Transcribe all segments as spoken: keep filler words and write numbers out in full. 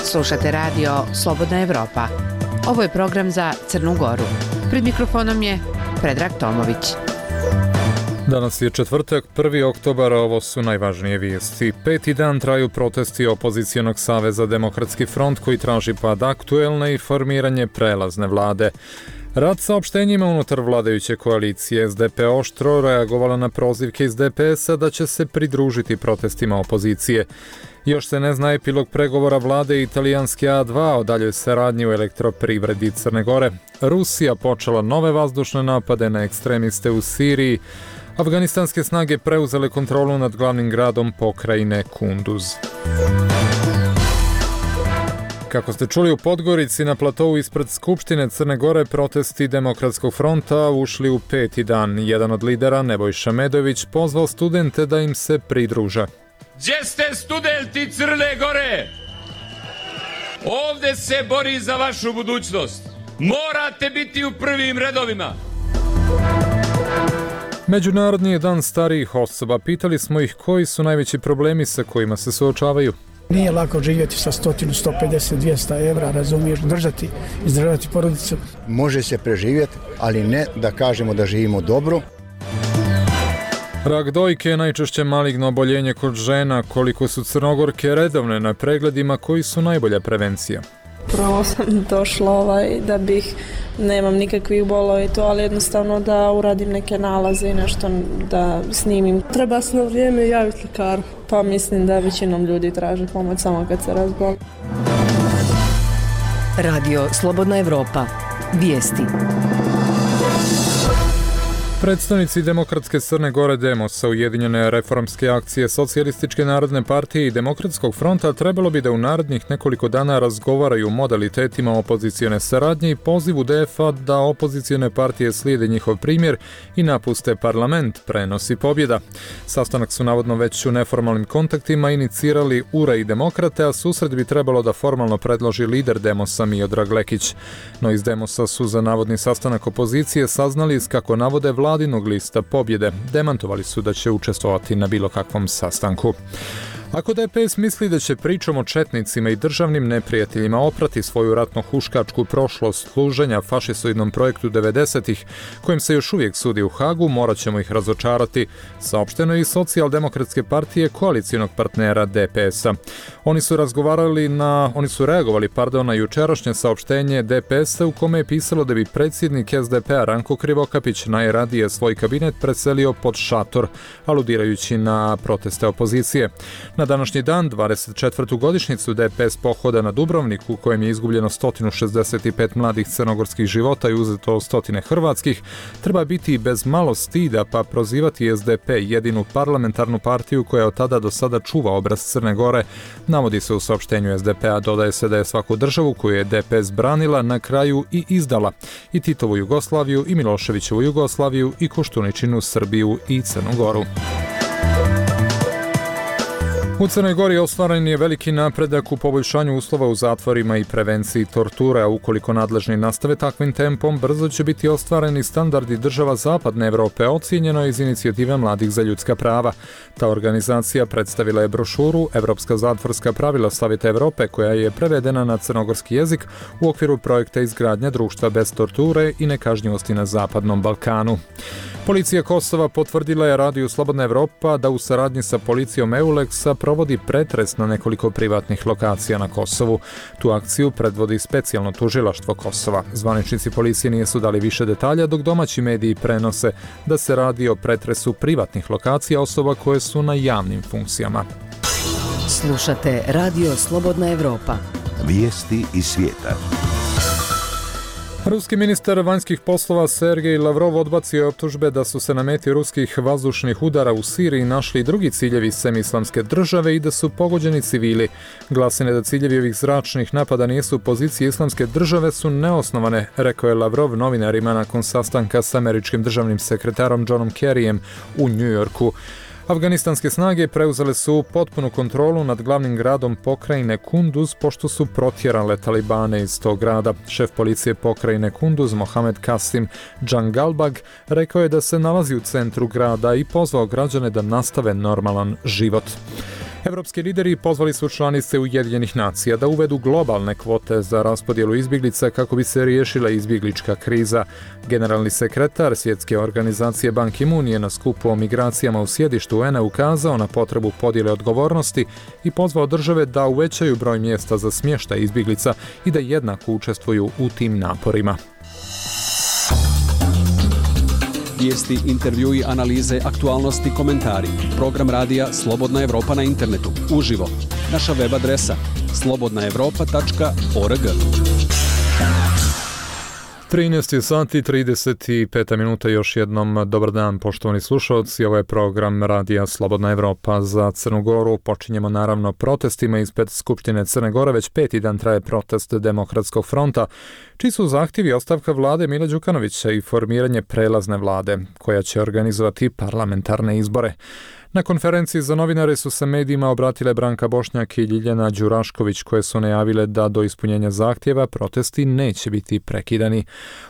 Slušate radio Slobodna Evropa. Ovo je program za Crnu Goru. Pred mikrofonom je Predrag Tomović. Danas je četvrtak, prvi oktobar, a ovo su najvažnije vijesti. Peti dan traju protesti Opozicionog saveza Demokratski front koji traži pad aktuelne i formiranje prelazne vlade. Rad saopštenjima unutar vladajuće koalicije S D P oštro reagovala na prozivke iz D P S-a da će se pridružiti protestima opozicije. Još se ne zna epilog pregovora vlade i italijanske A dva o daljoj saradnji u elektroprivredi Crne Gore. Rusija počela nove vazdušne napade na ekstremiste u Siriji. Afganistanske snage preuzele kontrolu nad glavnim gradom pokrajine Kunduz. Kako ste čuli, u Podgorici na platovu ispred Skupštine Crne Gore protesti Demokratskog fronta ušli u peti dan. Jedan od lidera, Nebojša Medović, pozvao studente da im se pridruže. Gdje ste studenti Crne Gore? Ovdje se bori za vašu budućnost. Morate biti u prvim redovima. Međunarodni je dan starijih osoba. Pitali smo ih koji su najveći problemi sa kojima se suočavaju. Nije lako živjeti sa sto, sto pedeset, dvjesto evra, razumiješ, držati, izdržavati porodicu. Može se preživjeti, ali ne da kažemo da živimo dobro. Rak dojke je najčešće maligno oboljenje kod žena. Koliko su Crnogorke redovne na pregledima, koji su najbolja prevencija? Prvo sam došla ovaj, da bih, nemam nikakvih bolova i to, ali jednostavno da uradim neke nalaze i nešto da snimim. Treba se na vrijeme javiti lekaru. Pa mislim da većinom ljudi traže pomoć samo kad se razboli. Radio Slobodna Evropa. Vijesti. Predstavnici Demokratske Crne Gore Demosa, Ujedinjene reformske akcije Socijalističke narodne partije i Demokratskog fronta trebalo bi da u narednih nekoliko dana razgovaraju o modalitetima opozicione saradnje i pozivu D F A da opozicione partije slijede njihov primjer i napuste parlament, prenosi pobjeda. Sastanak su navodno već u neformalnim kontaktima inicirali U R A i Demokrate, a susret bi trebalo da formalno predloži lider Demosa Miodrag Lekić. No iz Demosa su za navodni sastanak opozicije saznali iz, kako navode, vladinog lista pobjede. Demantovali su da će učestvovati na bilo kakvom sastanku. Ako D P S misli da će pričom o četnicima i državnim neprijateljima oprati svoju ratno-huškačku prošlost služenja fašisoidnom projektu devedesetih, kojim se još uvijek sudi u Hagu, morat ćemo ih razočarati, saopšteno je iz Socijaldemokratske partije koalicijonog partnera D P S-a. Oni su razgovarali na, oni su reagovali, pardon, na jučerašnje saopštenje D P S-a u kome je pisalo da bi predsjednik S D P-a Ranko Krivokapić najradije svoj kabinet preselio pod šator, aludirajući na proteste opozicije. Na današnji dan, dvadeset četvrtu godišnjicu D P S pohoda na Dubrovnik, u kojem je izgubljeno sto šezdeset pet mladih crnogorskih života i uzeto stotine hrvatskih, treba biti bez malo stida pa prozivati S D P, jedinu parlamentarnu partiju koja od tada do sada čuva obraz Crne Gore. Navodi se u saopštenju S D P-a, dodaje se da je svaku državu koju je D P S branila na kraju i izdala, i Titovu Jugoslaviju, i Miloševićevu Jugoslaviju, i Koštuničinu Srbiju i Crnu Goru. U Crnoj Gori ostvaren je veliki napredak u poboljšanju uslova u zatvorima i prevenciji torture, a ukoliko nadležni nastave takvim tempom, brzo će biti ostvareni standardi država Zapadne Evrope, ocijenjeno iz inicijative Mladih za ljudska prava. Ta organizacija predstavila je brošuru Evropska zatvorska pravila Savjeta Evrope, koja je prevedena na crnogorski jezik u okviru projekta izgradnja društva bez torture i nekažnjivosti na Zapadnom Balkanu. Policija Kosova potvrdila je Radiju Slobodna Evropa da u saradnji sa policijom Euleksa provodi pretres na nekoliko privatnih lokacija na Kosovu. Tu akciju predvodi specijalno tužilaštvo Kosova. Zvaničnici policije nisu dali više detalja, dok domaći mediji prenose da se radi o pretresu privatnih lokacija osoba koje su na javnim funkcijama. Slušate Radio Slobodna Evropa. Vijesti iz svijeta. Ruski ministar vanjskih poslova Sergej Lavrov odbacio je optužbe da su se na meti ruskih vazdušnih udara u Siriji našli drugi ciljevi Islamske države i da su pogođeni civili. Glasine da ciljevi ovih zračnih napada nisu pozicije Islamske države su neosnovane, rekao je Lavrov novinarima nakon sastanka s američkim državnim sekretarom Johnom Kerryjem u New Yorku. Afganistanske snage preuzele su potpunu kontrolu nad glavnim gradom pokrajine Kunduz pošto su protjerale talibane iz tog grada. Šef policije pokrajine Kunduz, Mohamed Kasim Džangalbag, rekao je da se nalazi u centru grada i pozvao građane da nastave normalan život. Evropski lideri pozvali su članice Ujedinjenih nacija da uvedu globalne kvote za raspodjelu izbjeglica kako bi se riješila izbjeglička kriza. Generalni sekretar Svjetske organizacije Ban Ki-moon je na skupu o migracijama u sjedištu U N A ukazao na potrebu podjele odgovornosti i pozvao države da uvećaju broj mjesta za smještaj izbjeglica i da jednako učestvuju u tim naporima. Vijesti, intervjui, analize, aktualnosti, komentari. Program radija Slobodna Evropa na internetu. Uživo. Naša web adresa slobodna evropa tačka org. trinaest sati trideset pet minuta, još jednom dobar dan poštovani slušalci, ovo je program radija Slobodna Evropa za Crnu Goru. Počinjemo naravno protestima ispred Skupštine Crne Gore, već peti dan traje protest Demokratskog fronta, čiji su zahtjevi ostavka vlade Mila Đukanovića i formiranje prelazne vlade, koja će organizovati parlamentarne izbore. Na konferenciji za novinare su se medijima obratile Branka Bošnjak i Ljiljana Đurašković, koje su najavile da do ispunjenja zahtjeva protesti neće biti prekidani.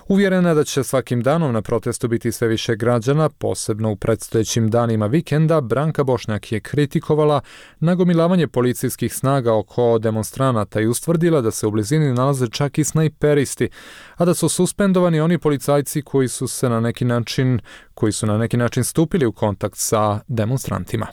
Uvjerena da će svakim danom na protestu biti sve više građana, posebno u predstojećim danima vikenda, Branka Bošnjak je kritikovala nagomilavanje policijskih snaga oko demonstranata i ustvrdila da se u blizini nalaze čak i snajperisti, a da su suspendovani oni policajci koji su se na neki način koji su na neki način stupili u kontakt sa demonstrantima.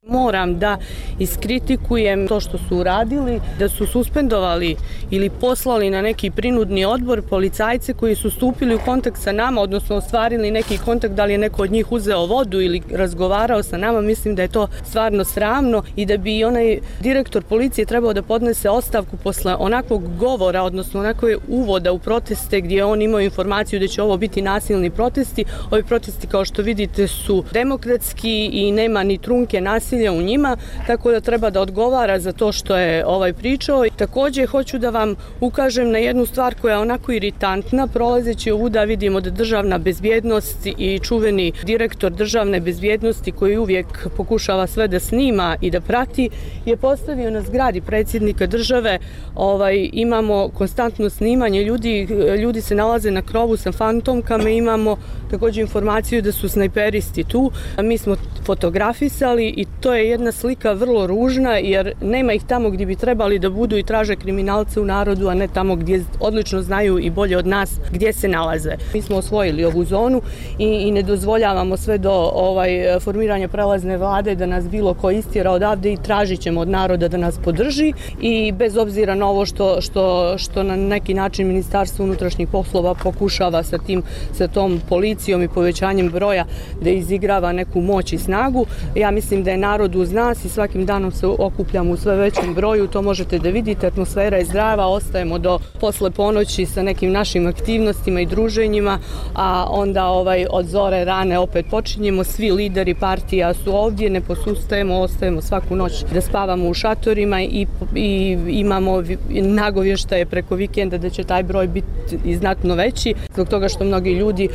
Moram da iskritikujem to što su uradili, da su suspendovali ili poslali na neki prinudni odbor policajce koji su stupili u kontakt sa nama, odnosno ostvarili neki kontakt, da li je neko od njih uzeo vodu ili razgovarao sa nama. Mislim da je to stvarno sramno i da bi onaj direktor policije trebao da podnese ostavku posle onakvog govora, odnosno onakve uvoda u proteste gdje on imao informaciju da će ovo biti nasilni protesti. Ovi protesti, kao što vidite, su demokratski i nema ni trunke nasilja u njima, tako da treba da odgovara za to što je ovaj pričao. Također hoću da vam ukažem na jednu stvar koja je onako iritantna. Prolazeći ovuda vidimo da državna bezbjednost i čuveni direktor državne bezbjednosti, koji uvijek pokušava sve da snima i da prati, je postavio na zgradi predsjednika države. Ovaj, imamo konstantno snimanje ljudi, ljudi se nalaze na krovu sa fantomkama, imamo također informaciju da su snajperisti tu. Mi smo fotografisali i to je jedna slika vrlo ružna, jer nema ih tamo gdje bi trebali da budu i traže kriminalce u narodu, a ne tamo gdje odlično znaju i bolje od nas gdje se nalaze. Mi smo osvojili ovu zonu i, i ne dozvoljavamo sve do ovaj, formiranja prelazne vlade da nas bilo ko istjera odavde i tražit ćemo od naroda da nas podrži. I bez obzira na ovo što, što, što na neki način Ministarstvo unutrašnjih poslova pokušava sa, tim, sa tom policijom i povećanjem broja da izigrava neku moć i snagu, ja mislim da je narod uz nas i svakim danom se okupljamo u sve većem broju. To možete da vidite, atmosfera je zdrava, ostajemo do posle ponoći sa nekim našim aktivnostima i druženjima, a onda ovaj, od zore rane opet počinjemo. Svi lideri partija su ovdje, ne posustajemo, ostajemo svaku noć da spavamo u šatorima i, i imamo nagovještaje preko vikenda da će taj broj biti i znatno veći, zbog toga što mnogi ljudi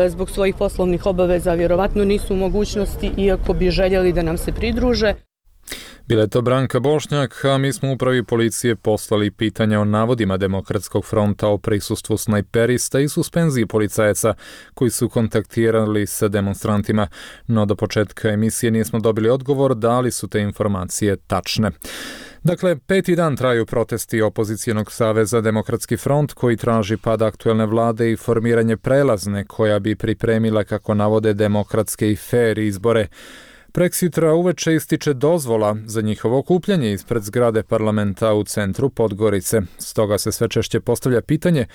zbog svojih poslovnih obaveza vjerovatno nisu u mogućnosti, iako bi željeli da nam se pridruže. Bila je to Branka Bošnjak, a mi smo upravi policije poslali pitanja o navodima Demokratskog fronta o prisustvu snajperista i suspenziji policajaca koji su kontaktirali sa demonstrantima, no do početka emisije nismo dobili odgovor da li su te informacije tačne. Dakle, peti dan traju protesti opozicijenog saveza Demokratski front, koji traži pad aktuelne vlade i formiranje prelazne koja bi pripremila, kako navode, demokratske i fer izbore. Preksitra uveče ističe dozvola za njihovo okupljanje ispred zgrade parlamenta u centru Podgorice. Stoga se sve češće postavlja pitanje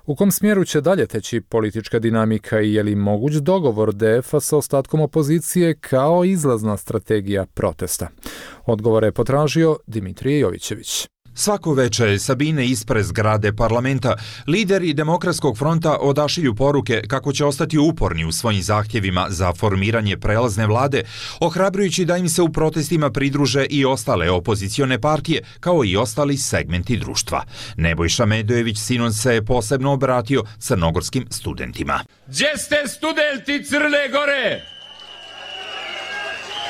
u kom smjeru će dalje teći politička dinamika i je li moguć dogovor D F-a sa ostatkom opozicije kao izlazna strategija protesta. Odgovore je potražio Dimitrije Jovićević. Svako veče Sabine ispred zgrade parlamenta lideri Demokratskog fronta odašilju poruke kako će ostati uporni u svojim zahtjevima za formiranje prelazne vlade, ohrabrujući da im se u protestima pridruže i ostale opozicione partije, kao i ostali segmenti društva. Nebojša Medojević sinoć se posebno obratio crnogorskim studentima. Gdje ste studenti Crne Gore?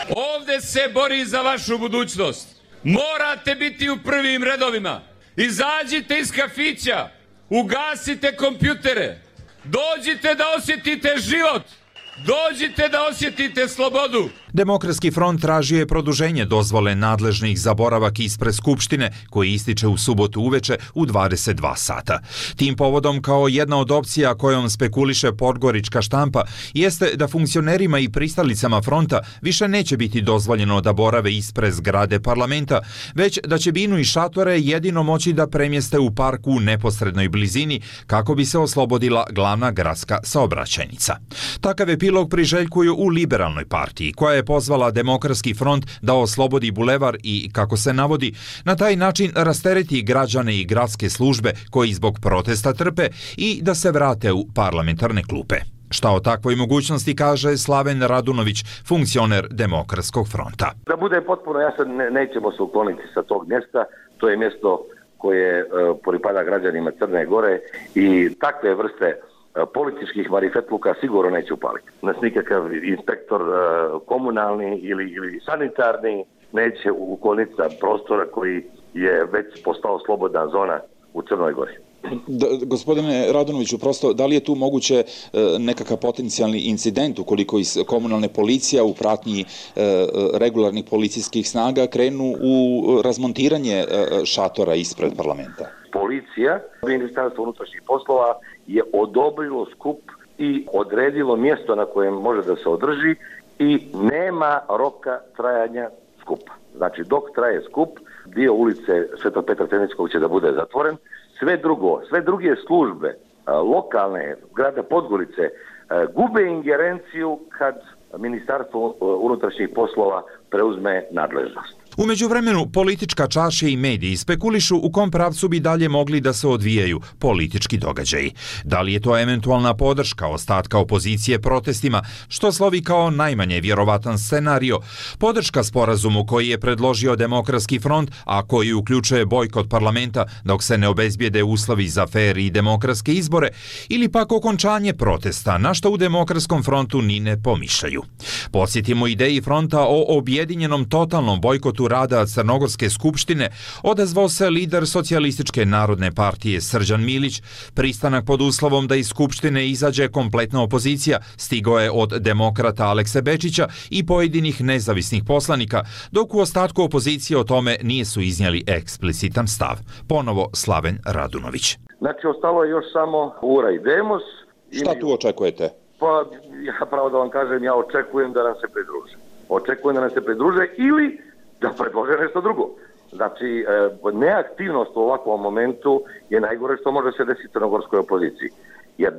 Ovde se bori za vašu budućnost. Morate biti u prvim redovima. Izađite iz kafića, ugasite kompjutere, dođite da osjetite život, dođite da osjetite slobodu. Demokratski front tražio je produženje dozvole nadležnih za boravak ispred Skupštine, koji ističe u subotu uveče u dvadeset dva sata. Tim povodom, kao jedna od opcija kojom spekuliše podgorička štampa, jeste da funkcionerima i pristalicama fronta više neće biti dozvoljeno da borave ispred zgrade parlamenta, već da će binu i šatore jedino moći da premjeste u parku u neposrednoj blizini kako bi se oslobodila glavna gradska saobraćajnica. Takav epilog priželjkuju u Liberalnoj partiji, koja je pozvala Demokratski front da oslobodi bulevar i, kako se navodi, na taj način rastereti građane i gradske službe koji zbog protesta trpe i da se vrate u parlamentarne klupe. Šta o takvoj mogućnosti kaže Slaven Radunović, funkcioner Demokratskog fronta. Da bude potpuno jasan, ne, nećemo se ukloniti sa tog mjesta. To je mjesto koje e, pripada građanima Crne Gore i takve vrste političkih marifetluka sigurno neće upaliti. Nas nikakav inspektor uh, komunalni ili, ili sanitarni neće ukloniti sa prostora koji je već postao slobodna zona u Crnoj Gori. Da, gospodine Radunoviću, prosto, da li je tu moguće e, nekakav potencijalni incident ukoliko iz komunalne policija u pratnji e, regularnih policijskih snaga krenu u razmontiranje e, šatora ispred parlamenta? Policija, Ministarstvo unutrašnjih poslova je odobrilo skup i odredilo mjesto na kojem može da se održi i nema roka trajanja skupa. Znači, dok traje skup, dio ulice Svetog Petra Ceničkog će da bude zatvoren. Sve drugo, sve druge službe, lokalne, grada Podgorice, gube ingerenciju kad Ministarstvo unutrašnjih poslova preuzme nadležnost. U međuvremenu, politička čaša i mediji spekulišu u kom pravcu bi dalje mogli da se odvijaju politički događaji. Da li je to eventualna podrška ostatka opozicije protestima, što slovi kao najmanje vjerovatan scenario, podrška sporazumu koji je predložio Demokratski front, a koji uključuje bojkot parlamenta dok se ne obezbijede uslovi za fer i demokratske izbore, ili pak okončanje protesta, na što u Demokratskom frontu ni ne pomišljaju. Podsjetimo ideji fronta o objedinjenom totalnom bojkotu rada Crnogorske skupštine odazvao se lider Socijalističke narodne partije Srđan Milić. Pristanak pod uslovom da iz skupštine izađe kompletna opozicija stigao je od demokrata Alekse Bečića i pojedinih nezavisnih poslanika, dok u ostatku opozicije o tome nisu iznijeli eksplicitan stav. Ponovo Slaven Radunović. Znači, ostalo je još samo Ura i Demos. Šta tu očekujete? Pa, ja pravo da vam kažem, ja očekujem da nam se pridruže. Očekujem da nam se pridruže ili da predlože nešto drugo. Znači, neaktivnost u ovakvom momentu je najgore što može se desiti crnogorskoj opoziciji. Jer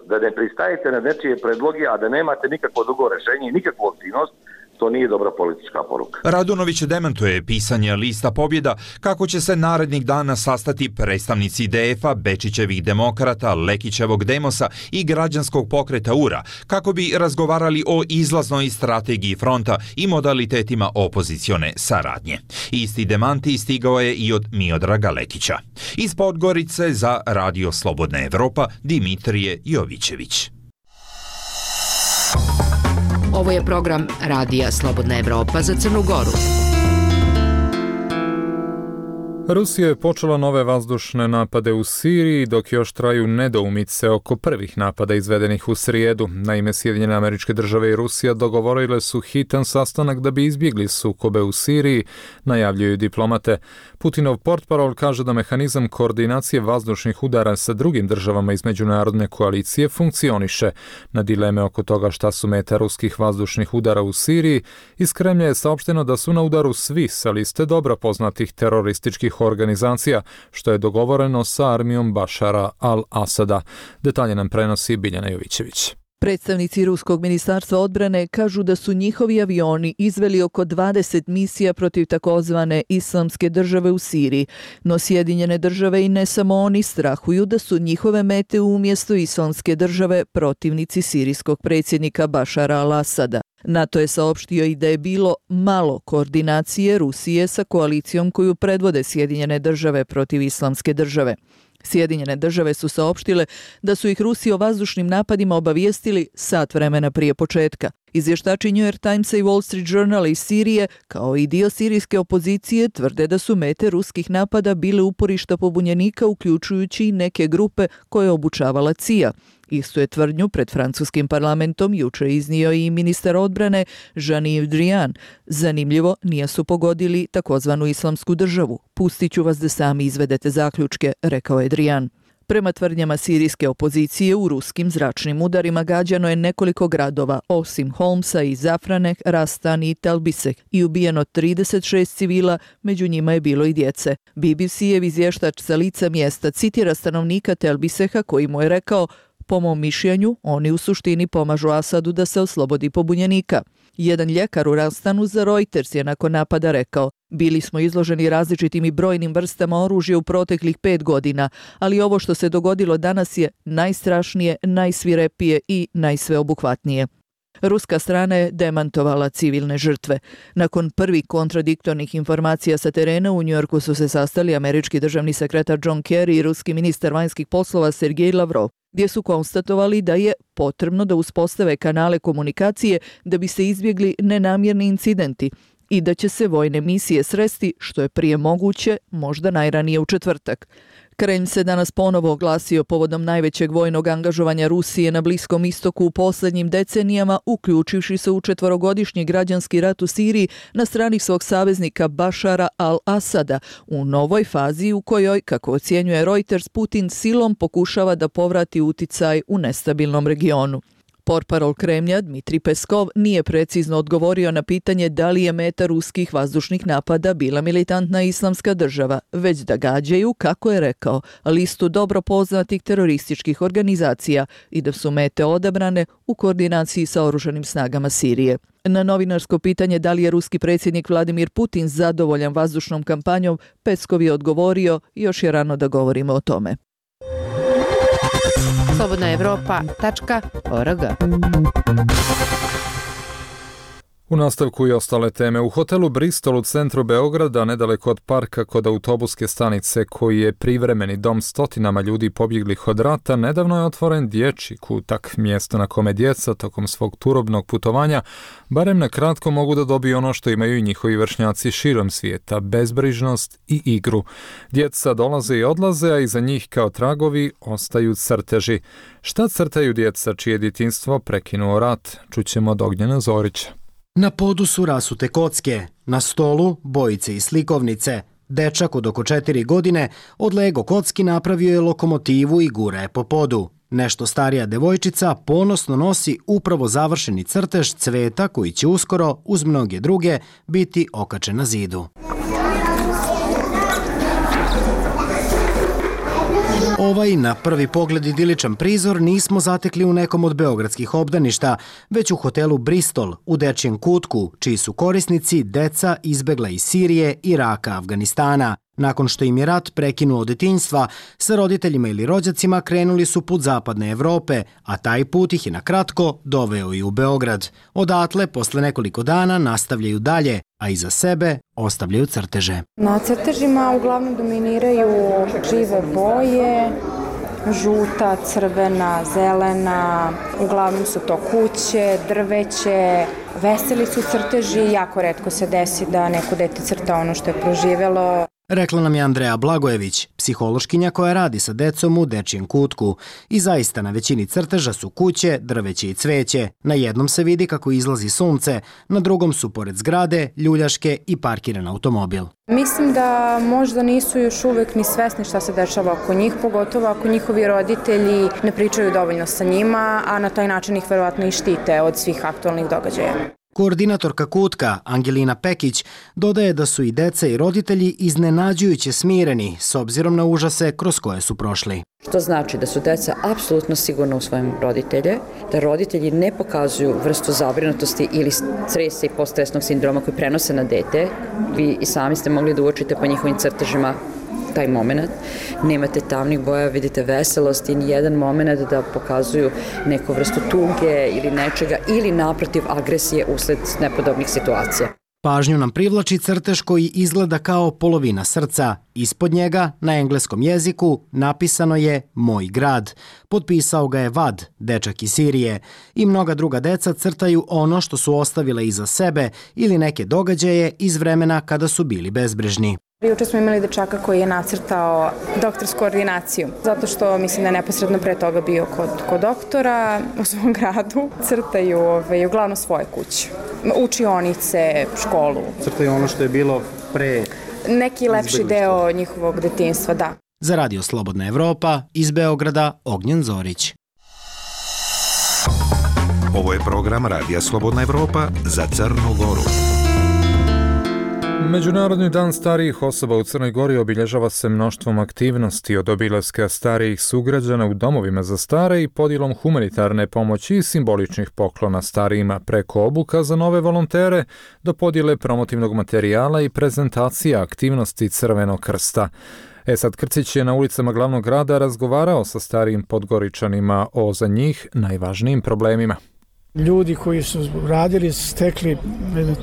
da ne pristajete na nečije predloge, a da nemate nikakvo drugo rešenje i nikakvu aktivnost, to nije dobra politička poruka. Radunović demantuje pisanje lista pobjeda kako će se narednih dana sastati predstavnici D F-a, Bečićevih demokrata, Lekićevog Demosa i građanskog pokreta Ura, kako bi razgovarali o izlaznoj strategiji fronta i modalitetima opozicione saradnje. Isti demanti stigao je i od Miodraga Lekića. Iz Podgorice za Radio Slobodna Evropa, Dimitrije Jovićević. Ovo je program Radija Slobodna Evropa za Crnu Goru. Rusija je počela nove vazdušne napade u Siriji, dok još traju nedoumice oko prvih napada izvedenih u srijedu. Naime, Sjedinjene Američke Države i Rusija dogovorile su hitan sastanak da bi izbjegli sukobe u Siriji, najavljuju diplomate. Putinov portparol kaže da mehanizam koordinacije vazdušnih udara sa drugim državama iz međunarodne koalicije funkcioniše. Na dileme oko toga šta su meta ruskih vazdušnih udara u Siriji, iz Kremlja je saopšteno da su na udaru svi sa liste dobro poznatih terorističkih organizacija, što je dogovoreno sa armijom Bašara al-Asada. Detalje nam prenosi Biljana Jovićević. Predstavnici Ruskog ministarstva odbrane kažu da su njihovi avioni izveli oko dvadeset misija protiv takozvane Islamske države u Siriji, no Sjedinjene države i ne samo oni strahuju da su njihove mete umjesto Islamske države protivnici sirijskog predsjednika Bašara al-Asada. NATO je saopštio i da je bilo malo koordinacije Rusije sa koalicijom koju predvode Sjedinjene države protiv Islamske države. Sjedinjene države su saopštile da su ih Rusi o vazdušnim napadima obavijestili sat vremena prije početka. Izvještači New York Timesa i Wall Street Journala iz Sirije, kao i dio sirijske opozicije, tvrde da su mete ruskih napada bile uporišta pobunjenika, uključujući i neke grupe koje je obučavala C I A. Istu je tvrdnju pred francuskim parlamentom jučer iznio i ministar odbrane Jean-Yves Drian. Zanimljivo, nije su pogodili takozvanu islamsku državu. Pustit ću vas da sami izvedete zaključke, rekao je Drian. Prema tvrdnjama sirijske opozicije, u ruskim zračnim udarima gađano je nekoliko gradova, osim Holmsa i Zafraneh, Rastan i Talbiseh, i ubijeno trideset šest civila, među njima je bilo i djece. B B C-ev izvještač sa lica mjesta citira stanovnika Talbiseha koji mu je rekao: po mom mišljenju, oni u suštini pomažu Asadu da se oslobodi pobunjenika. Jedan ljekar u Rastanu za Reuters je nakon napada rekao: bili smo izloženi različitim i brojnim vrstama oružja u proteklih pet godina, ali ovo što se dogodilo danas je najstrašnije, najsvirepije i najsveobuhvatnije. Ruska strana je demantovala civilne žrtve. Nakon prvih kontradiktornih informacija sa terena, u Njujorku su se sastali američki državni sekretar John Kerry i ruski ministar vanjskih poslova Sergej Lavrov, gdje su konstatovali da je potrebno da uspostave kanale komunikacije da bi se izbjegli nenamjerni incidenti i da će se vojne misije sresti što je prije moguće, možda najranije u četvrtak. Kremlj se danas ponovo oglasio povodom najvećeg vojnog angažovanja Rusije na Bliskom istoku u posljednjim decenijama, uključivši se u četvorogodišnji građanski rat u Siriji na strani svog saveznika Bašara al-Asada, u novoj fazi u kojoj, kako ocjenjuje Reuters, Putin silom pokušava da povrati uticaj u nestabilnom regionu. Portparol Kremlja Dmitrij Peskov nije precizno odgovorio na pitanje da li je meta ruskih vazdušnih napada bila militantna islamska država, već da gađaju, kako je rekao, listu dobro poznatih terorističkih organizacija i da su mete odabrane u koordinaciji sa oružanim snagama Sirije. Na novinarsko pitanje da li je ruski predsjednik Vladimir Putin zadovoljan vazdušnom kampanjom, Peskov je odgovorio: još je rano da govorimo o tome. slobodna evropa tačka org. U nastavku i ostale teme. U hotelu Bristol u centru Beograda, nedaleko od parka kod autobuske stanice koji je privremeni dom stotinama ljudi pobjeglih od rata, nedavno je otvoren dječji kutak, mjesto na kome djeca tokom svog turobnog putovanja barem na kratko mogu da dobiju ono što imaju i njihovi vršnjaci širom svijeta, bezbrižnost i igru. Djeca dolaze i odlaze, a iza njih kao tragovi ostaju crteži. Šta crtaju djeca čije djetinjstvo prekinuo rat? Čućemo od Ognjena Zorića. Na podu su rasute kocke, na stolu bojice i slikovnice. Dečak od oko četiri godine od Lego kocki napravio je lokomotivu i gura je po podu. Nešto starija devojčica ponosno nosi upravo završeni crtež cveta koji će uskoro, uz mnoge druge, biti okačen na zidu. Ovaj na prvi pogled idiličan prizor nismo zatekli u nekom od beogradskih obdaništa, već u hotelu Bristol u dečjem kutku, čiji su korisnici deca izbegla iz Sirije, Iraka, Afganistana. Nakon što im je rat prekinuo od detinjstva, sa roditeljima ili rođacima krenuli su put zapadne Evrope, a taj put ih je na kratko doveo i u Beograd. Odatle, posle nekoliko dana, nastavljaju dalje, a iza sebe ostavljaju crteže. Na crtežima uglavnom dominiraju žive boje, žuta, crvena, zelena, uglavnom su to kuće, drveće, veseli su crteži, jako retko se desi da neko dete crta ono što je proživelo. Rekla nam je Andreja Blagojević, psihološkinja koja radi sa decom u dečjem kutku. I zaista na većini crteža su kuće, drveće i cveće. Na jednom se vidi kako izlazi sunce, na drugom su pored zgrade, ljuljaške i parkiran automobil. Mislim da možda nisu još uvek ni svesni šta se dešava oko njih, pogotovo ako njihovi roditelji ne pričaju dovoljno sa njima, a na taj način ih verovatno i štite od svih aktualnih događaja. Koordinatorka kutka, Angelina Pekić, dodaje da su i deca i roditelji iznenađujuće smireni s obzirom na užase kroz koje su prošli. Što znači da su deca apsolutno sigurna u svojim roditelje, da roditelji ne pokazuju vrstu zabrinutosti ili stresa i poststresnog sindroma koji prenose na dete. Vi i sami ste mogli da uočite po njihovim crtežima taj moment. Nemate tamnih boja, vidite veselost i nijedan moment da pokazuju neku vrstu tuge ili nečega ili naprotiv agresije usled nepodobnih situacija. Pažnju nam privlači crtež koji izgleda kao polovina srca. Ispod njega, na engleskom jeziku, napisano je Moj grad. Potpisao ga je Vad, dečak iz Sirije. I mnoga druga deca crtaju ono što su ostavile iza sebe ili neke događaje iz vremena kada su bili bezbrižni. Juče smo imali dečaka koji je nacrtao doktorsku ordinaciju, zato što mislim da je neposredno pre toga bio kod, kod doktora u svom gradu. Crtaju ove, uglavnom svoje kuće, učionice, školu. Crtaju ono što je bilo pre... Neki lepši deo njihovog detinjstva, da. Za Radio Slobodna Evropa, iz Beograda, Ognjen Zorić. Ovo je program Radija Slobodna Evropa za Crnu Goru. Međunarodni dan starijih osoba u Crnoj Gori obilježava se mnoštvom aktivnosti, od obilaska starijih sugrađana u domovima za stare i podjelom humanitarne pomoći i simboličnih poklona starijima, preko obuka za nove volontere do podjele promotivnog materijala i prezentacija aktivnosti Crvenog krsta. Esad Krcić je na ulicama glavnog grada razgovarao sa starijim Podgoričanima o za njih najvažnijim problemima. Ljudi koji su radili, stekli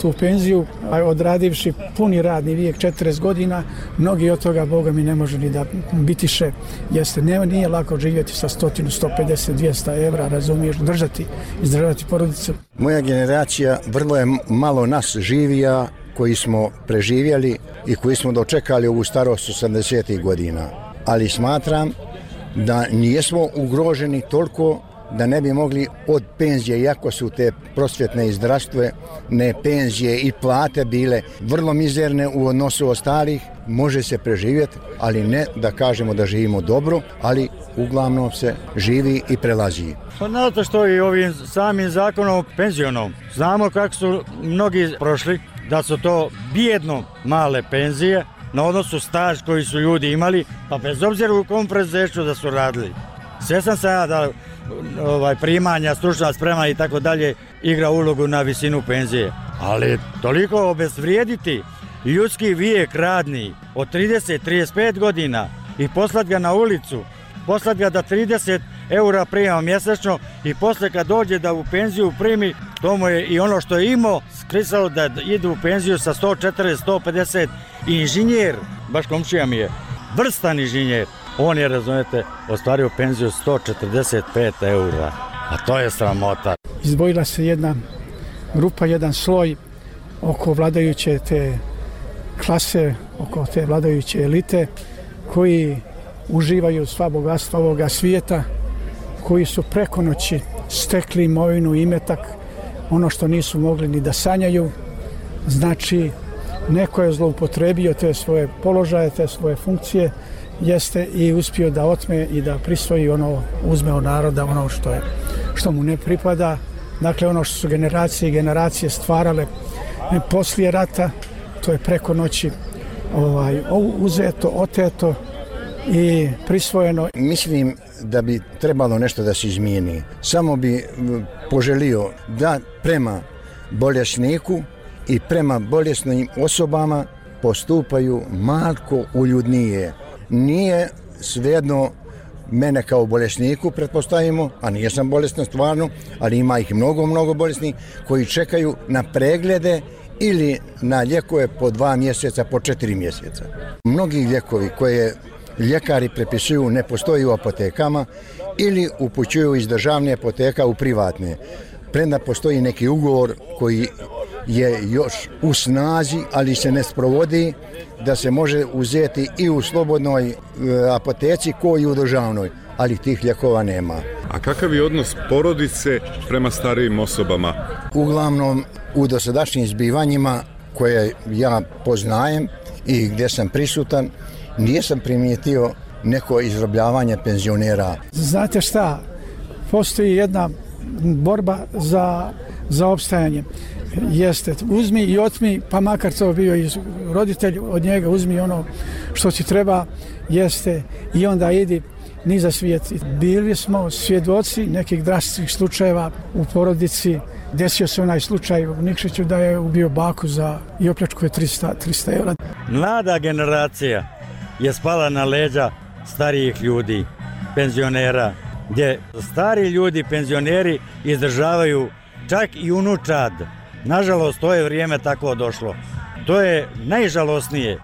tu penziju, a odradivši puni radni vijek četrdeset godina, mnogi od toga, Boga mi, ne može ni da bitiše. Jeste, ne, nije lako živjeti sa sto, sto pedeset, dvjesto evra, razumiješ, držati, izdržavati porodicu. Moja generacija vrlo je malo nas živija koji smo preživjeli i koji smo dočekali ovu starost osamdesetih godina. Ali smatram da nijesmo ugroženi toliko da ne bi mogli od penzije, iako su te prosvjetne i zdravstvene penzije i plate bile vrlo mizerne u odnosu ostalih, može se preživjeti, ali ne da kažemo da živimo dobro, ali uglavnom se živi i prelazi. Pa znate što i ovim samim zakonom penzionom. Znamo kako su mnogi prošli, da su to bijedno male penzije na odnosu staž koji su ljudi imali, pa bez obzira u kom preduzeću da su radili. Sve sam se ja da ovaj, primanja, stručna sprema i tako dalje igra ulogu na visinu penzije. Ali toliko obezvrijediti ljudski vijek radni od trideset do trideset pet godina i poslati ga na ulicu, poslati ga da trideset eura prima mjesečno i posle kad dođe da u penziju primi, to mu je i ono što je imao skrisalo da ide u penziju sa sto četrdeset do sto pedeset. Inženjer, baš komšija mi je, vrstan inženjer, on je, razumijete, ostvario penziju sto četrdeset pet eura, a to je sramota. Izdvojila se jedna grupa, jedan sloj oko vladajuće te klase, oko te vladajuće elite, koji uživaju sva bogatstva ovoga svijeta, koji su preko noći stekli imovinu, imetak, ono što nisu mogli ni da sanjaju. Znači, neko je zloupotrebio te svoje položaje, te svoje funkcije, jeste i uspio da otme i da prisvoji ono, uzme od naroda ono što je, što mu ne pripada. Dakle, ono što su generacije i generacije stvarale poslije rata, to je preko noći ovaj, uzeto, oteto i prisvojeno. Mislim da bi trebalo nešto da se izmijeni. Samo bi poželio da prema bolesniku i prema bolesnim osobama postupaju malko uljudnije. Nije svejedno mene kao bolesniku, pretpostavimo, a nije sam bolestan stvarno, ali ima ih mnogo, mnogo bolesnih koji čekaju na preglede ili na lijekove po dva mjeseca, po četiri mjeseca. Mnogi lijekovi koje ljekari prepisuju ne postoji u apotekama ili upućuju iz državne apoteka u privatne. Premda postoji neki ugovor koji je još u snazi, ali se ne sprovodi, da se može uzeti i u slobodnoj apoteci kao i u državnoj, ali tih lijekova nema. A kakav je odnos porodice prema starijim osobama? Uglavnom, u dosadašnjim zbivanjima koje ja poznajem i gdje sam prisutan, nisam primijetio neko izrabljavanje penzionera. Znate šta, postoji jedna borba za, za opstajanje. Jeste, uzmi i otmi, pa makar to bio i roditelj, od njega uzmi ono što ti treba, jeste, i onda idi ni za svijet. Bili smo svjedoci nekih drastičnih slučajeva u porodici. Desio se onaj slučaj u Nikšiću da je ubio baku za i opljačkuje trista, trista eura. Mlada generacija je spala na leđa starijih ljudi, penzionera, gdje stari ljudi, penzioneri, izdržavaju čak i unučad Nažalost, to je vrijeme tako došlo. To je najžalosnije.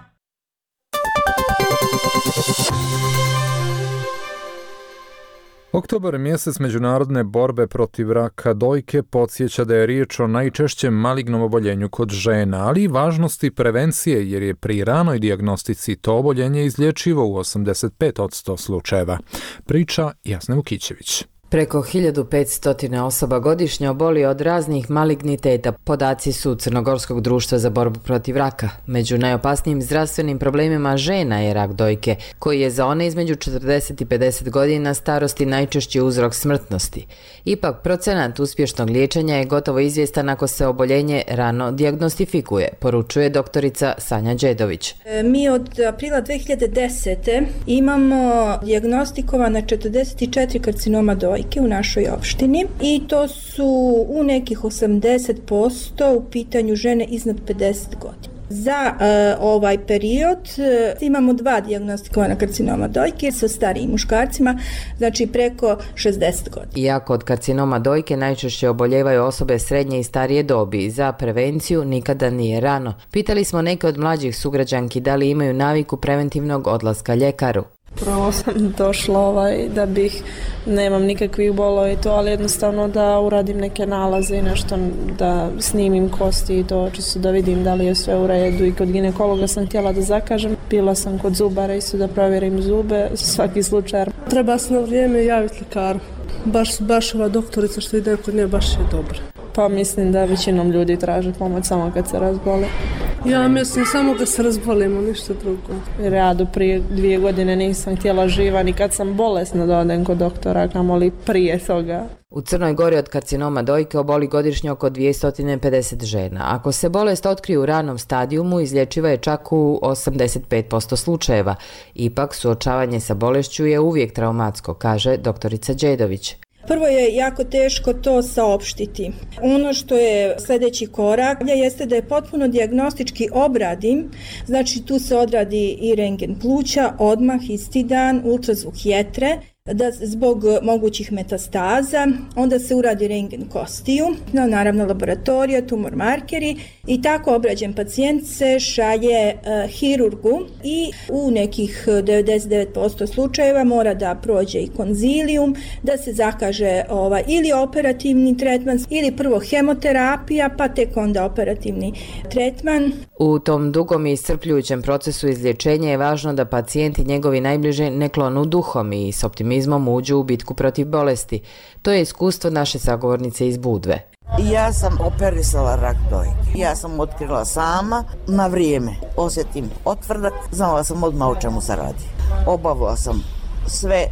Oktobar je mjesec međunarodne borbe protiv raka dojke, podsjeća da je riječ o najčešćem malignom oboljenju kod žena, ali i važnosti prevencije jer je pri ranoj dijagnostici to oboljenje izlječivo u osamdeset pet posto slučajeva. Priča Jasna Vukićević. Preko hiljadu petsto osoba godišnje oboli od raznih maligniteta, podaci su Crnogorskog društva za borbu protiv raka. Među najopasnijim zdravstvenim problemima žena je rak dojke, koji je za one između četrdeset i pedeset godina starosti najčešći uzrok smrtnosti. Ipak, procenat uspješnog liječenja je gotovo izvjestan ako se oboljenje rano dijagnostifikuje, poručuje doktorica Sanja Đedović. Mi od aprila dve hiljade desete. imamo dijagnostikovana četrdeset četiri karcinoma dojke u našoj opštini i to su u nekih osamdeset posto u pitanju žene iznad pedeset godina. Za uh, ovaj period uh, imamo dva dijagnostikovana karcinoma dojke sa starijim muškarcima, znači preko šezdeset godina. Iako od karcinoma dojke najčešće oboljevaju osobe srednje i starije dobi, za prevenciju nikada nije rano. Pitali smo neke od mlađih sugrađanki da li imaju naviku preventivnog odlaska ljekaru. Prvo sam došla ovaj, da bih, nemam nikakvih bolova i to, ali jednostavno da uradim neke nalaze i nešto, da snimim kosti i to, čisto da vidim da li je sve u redu. I kod ginekologa sam htjela da zakažem, bila sam kod zubara isto da provjerim zube, svaki slučaj. Treba se na vrijeme javiti ljekaru. Baš, baš ova doktorica što ide kod nje baš je dobra. Pa mislim da većinom ljudi traže pomoć samo kad se razbole. Ja mislim samo kad se razbolimo, ništa drugo. Jer ja do prije dvije godine nisam htjela živa, ni kad sam bolesna da odem kod doktora, kamoli prije toga. U Crnoj Gori od karcinoma dojke oboli godišnje oko dvjesto pedeset žena. Ako se bolest otkrije u ranom stadijumu, izlječiva je čak u osamdeset pet posto slučajeva. Ipak, suočavanje sa bolešću je uvijek traumatsko, kaže doktorica Đedović. Prvo je jako teško to saopštiti. Ono što je sljedeći korak jeste da je potpuno dijagnostički obradim, znači tu se odradi i rentgen pluća, odmah isti dan, ultrazvuk jetre, da zbog mogućih metastaza, onda se uradi rentgen kostiju, no, naravno laboratorija, tumor markeri i tako obrađen pacijent se šalje uh, hirurgu i u nekih devedeset devet posto slučajeva mora da prođe i konzilijum, da se zakaže ovaj, ili operativni tretman ili prvo hemoterapija pa tek onda operativni tretman. U tom dugom i iscrpljujućem procesu izlječenja je važno da pacijenti i njegovi najbliži ne klonu duhom i s optimizmom uđu u bitku protiv bolesti. To je iskustvo naše sagovornice iz Budve. Ja sam operisala rak dojke. Ja sam otkrila sama na vrijeme. Osjetim otvrdak, znala sam odmah o čemu se radi. Obavila sam sve.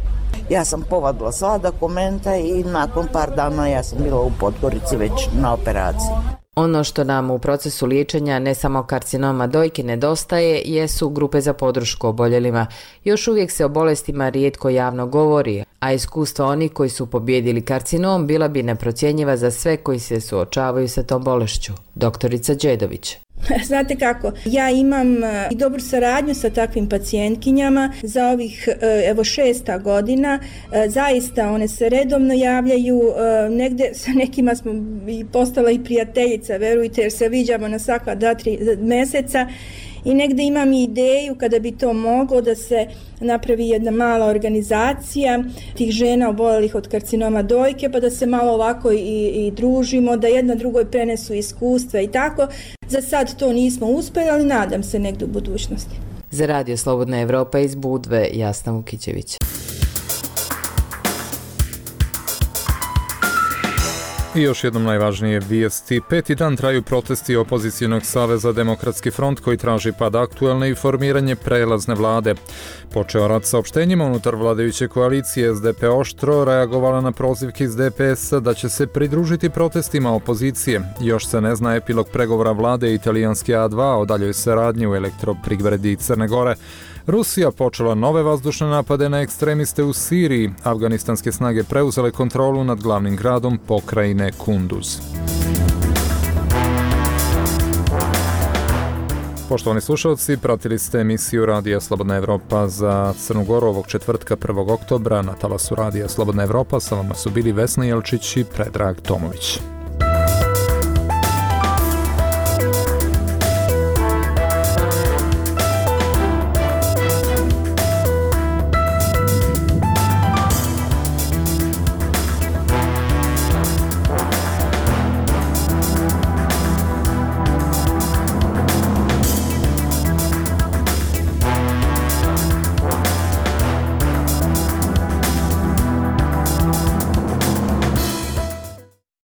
Ja sam povadila sva dokumenta i nakon par dana ja sam bila u Podgorici već na operaciji. Ono što nam u procesu liječenja ne samo karcinoma dojke nedostaje jesu grupe za podršku oboljelima. Još uvijek se o bolestima rijetko javno govori, a iskustva onih koji su pobijedili karcinom bila bi neprocjenjiva za sve koji se suočavaju sa tom bolešću. Doktorica Đedović. Znate kako, ja imam i dobru saradnju sa takvim pacijentkinjama za ovih evo šesta godina, zaista one se redovno javljaju, negde sa nekima smo i postala i prijateljica, verujte, jer se viđamo na svaka dva, tri meseca. I negde imam i ideju kada bi to moglo da se napravi jedna mala organizacija tih žena oboljelih od karcinoma dojke, pa da se malo ovako i, i družimo, da jedna drugoj prenesu iskustva i tako. Za sad to nismo uspjeli, ali nadam se negdje u budućnosti. Za Radio Slobodna Evropa iz Budve, Jasna Vukićević. I još jednom najvažnije vijesti. Peti dan traju protesti Opozicionog saveza Demokratski front koji traži pad aktualne i formiranje prelazne vlade. Počeo rad saopštenjima unutar vladajuće koalicije. S D P oštro reagovala na prozivke iz D P S-a da će se pridružiti protestima opozicije. Još se ne zna epilog pregovora vlade italijanske A dva o daljoj saradnji u elektroprivredi Crne Gore. Rusija počela nove vazdušne napade na ekstremiste u Siriji. Afganistanske snage preuzele kontrolu nad glavnim gradom pokrajine Kunduz. Poštovani slušalci, pratili ste emisiju Radija Slobodna Evropa za Crnu Goru ovog četvrtka prvog oktobra. Na talasu Radija Slobodna Evropa sa vama su bili Vesna Jelčić i Predrag Tomović.